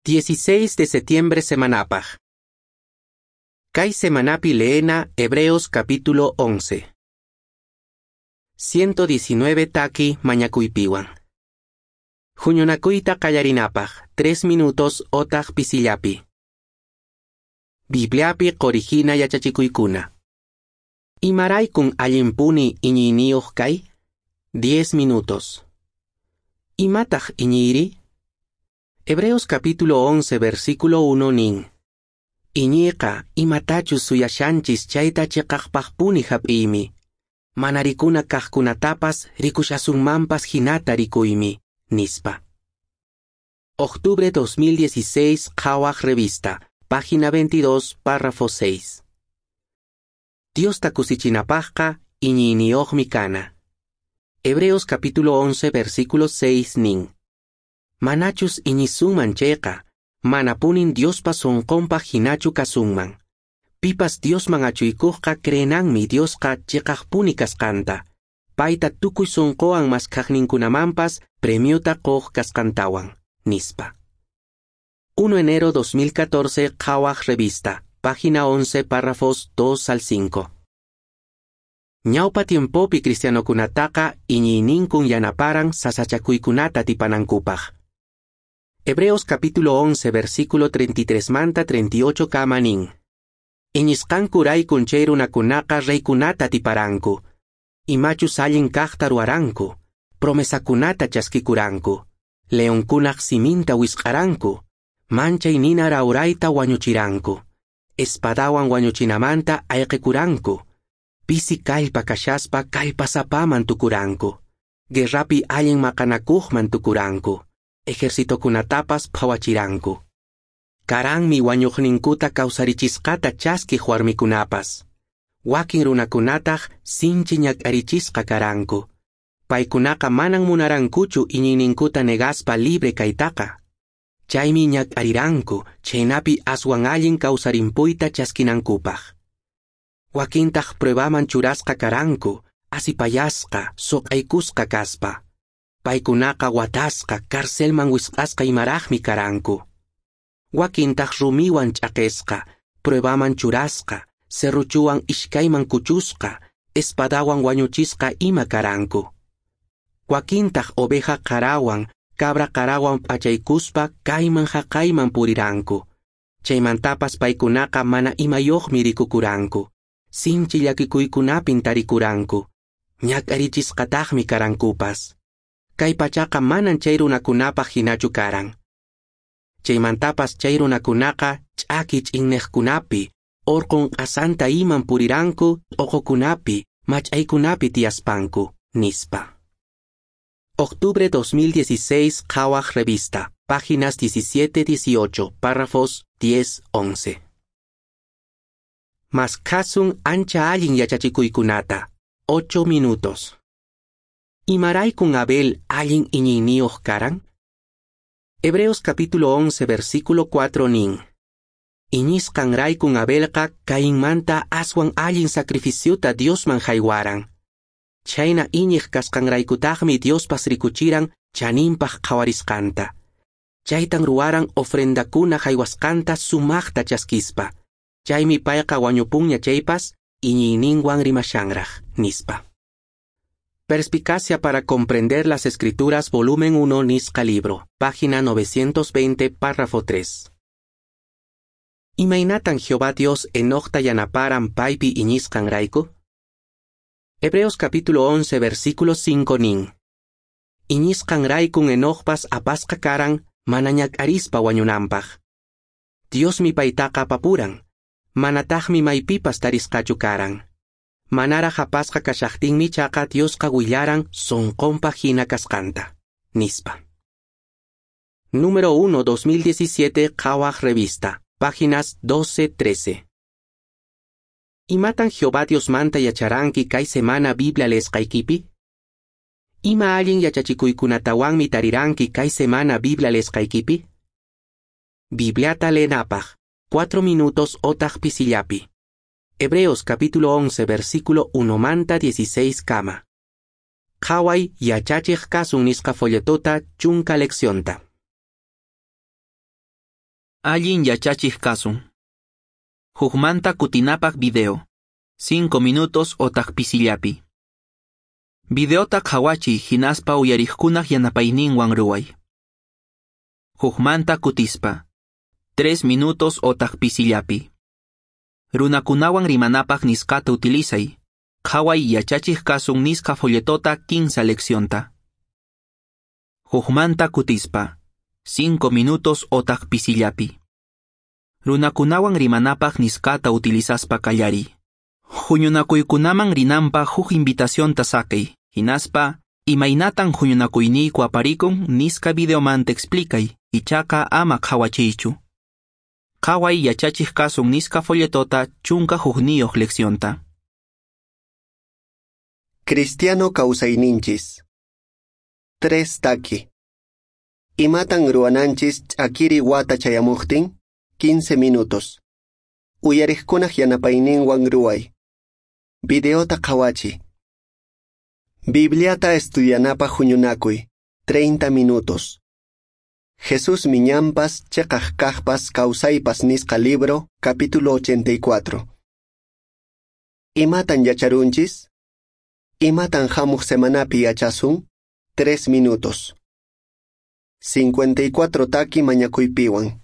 16 de setiembre semanapaq. Kay semanapi leena Hebreos capítulo 11. 119 taki mañakuypiwan. Huñunakuyta qallarinapaq 3 minutos otaq pisillapi. Bibliapi qorihina yachachikuykuna. Imaraykun allinpuni iñiyniyuq kay? 10 minutos. Imataq iñiyri? Hebreos capítulo 11 versículo 1 nin. Iñiyqa imatachus suyashanchis chayta chiqaqpaqpuni hap'iymi. Mana rikuna kaqkunatapas rikushasunmanpas hinata rikuymi, nispa. Octubre 2016 Qhawaq Revista, página 22, párrafo 6. Diosta kusichinapaqqa iñiyniyuqmi kana. Hebreos capítulo 11 versículo 6 nin. Manachus iñisunman chayqa, manapunin Diospa sunqunpaq hinachu kasunman. Pipas Diosman achuykuqqa creenanmi Diosqa chiqaqpuni kasqanta. Payta tukuy sunquwan maskhaqninkunamanpas premiuta quq kasqantawan, nispa. 1 enero 2014 Qhawaq Revista, página 11, párrafos 2 al 5. Ñawpa tiempopi cristianokunataqa iñiyninkun yanaparan sasachakuykunata atipanankupaq. Hebreos capítulo 11 versículo 33 manta 38 kama nin. Iñisqankuraykun chay runakunaqa reykunata atiparanku. Imachus allin kaqta ruwaranku, promesakunata chaskikuranku, leonkunaq siminta wisq'aranku, manchay nina rawrayta wañuchiranku, espadawan wañuchinamanta ayqikuranku, pisi kallpa kashaspa kallpasapaman tukuranku, guerrapi allin maqanakuqman tukuranku, ejercitokunatapas phawachiranku. Karanmi wañuqninkuta kawsarichisqata chaskiq warmikunapas. Wakin runakunataq sinchi ñak'arichisqa karanku. Paykunaqa manan munarankuchu iñiyninkuta negaspa libre kaytaqa. Chaymi ñak'ariranku chhaynapi aswan allin kawsarimpuyta chaskinankupaq. Wakintaq pruebaman churasqa karanku, asipayasqa, suq'aykusqa kaspa. Paykunaqa watasqa, carcelman wisq'asqa imaraqmi karanku. Wakintaq rumiwan ch'aqesqa, pruebaman churasqa, serruchuwan ishkayman kuchusqa, espadawan wañuchisqa ima karanku. Wakintaq oveja qarawan, cabra qarawan p'achaykuspa kayman haqayman puriranku. Chaymantapas paykunaqa mana imayuqmi rikukuranku. Sinchi llakikuykunapin tarikuranku. Ñak'arichisqataqmi karankupas. Kay pachaqa manan chay runakunapaq hinachu karan. Chaymantapas chay runakunaqa ch'aki ch'inneqkunapi, orqun q'asanta iman puriranku, t'uqukunapi, mach'aykunapi tiyaspanku, nispa. Octubre 2016 Qhawaq Revista, páginas 17-18, párrafos 10-11. Maskhasun ancha allin yachachikuykunata, 8 minutos. Imaraykun Abel allin iñiyniyuq karan? Hebreos capítulo 11 versículo 4 nin. Iñisqanraykun Abelqa Cainmanta aswan allin sacrificiuta Diosman haywaran. Chhayna iñiq kasqanraykutaqmi Diospas rikuchiran chaninpaq qhawarisqanta. Chaytan ruwaran ofrendakuna haywasqanta sumaqta chaskispa. Chaymi payqa wañupunña chaypas iñiyninwan rimashanraq, nispa. Perspicacia para comprender las escrituras, volumen 1, nisqa libro, página 920, párrafo 3. Imaynatan Jehová Dios Enocta yanaparan paypi iñisqanrayku? Hebreos capítulo 11, versículo 5 nin. Iñisqanraykun Enocpas apasqa karan mana ñak'arispa wañunanpaq. Diosmi paytaqa apapuran, manataqmi maypipas tarisqachu karan. Manaraq apasqa kashaqtinmi chaqa Diosqa willaran sunqunpaq hina kasqanta, nispa. Número 1, 2017, Qhawaq Revista, páginas 12-13. Imatan Jehová Diosmanta yacharanki kay semana Biblia leesqaykipi? Ima allin yachachikuykunatawanmi tariranki kay semana Biblia leesqaykipi? Bibliata leenapaq, 4 minutos otaq pisillapi. Hebreos capítulo 11 versículo 1 manta 16 kama. Qhaway yachachiq kasun nisqa folletota chunka leccionta. Allin yachachiq kasun. Hukmanta kutinapaq video. 5 minutos otaq pisillapi. Videota qhawachiy hinaspa uyariqkunaq yanapayninwan ruway. Hukmanta kutispa. 3 minutos otaq pisillapi. Runakunawan rimanapaq nisqata utilizay. Qhaway yachachiq kasun nisqa folletota 15 leccionta. Hukmanta kutispa. 5 minutos otaq pisillapi. Runakunawan rimanapaq nisqata utilizaspa qallariy. Huñunakuykunaman rinanpaq huk invitacionta saqey, hinaspa imaynatan huñunakuyniyku aparikun nisqa videomanta explicay, ichaqa ama qhawachiychu. Qhaway yachachiq kasun nisqa folletota 11 leccionta. Cristiano kawsayninchis. 3 taki. Imatan ruwananchis ch'akiri wata chayamuqtin? 15 minutos. Uyariqkunaq yanapayninwan ruway. Videota qhawachiy. Bibliata estudianapaq huñunakuy. 30 minutos. Jesús miñampas, cheqaq kaqpas, kawsaypas nisqa libro, capítulo 84. Imatan yacharunchis? Imatan hamuq semanapi yachasun? 3 minutos. 54 taki mañakuypiwan.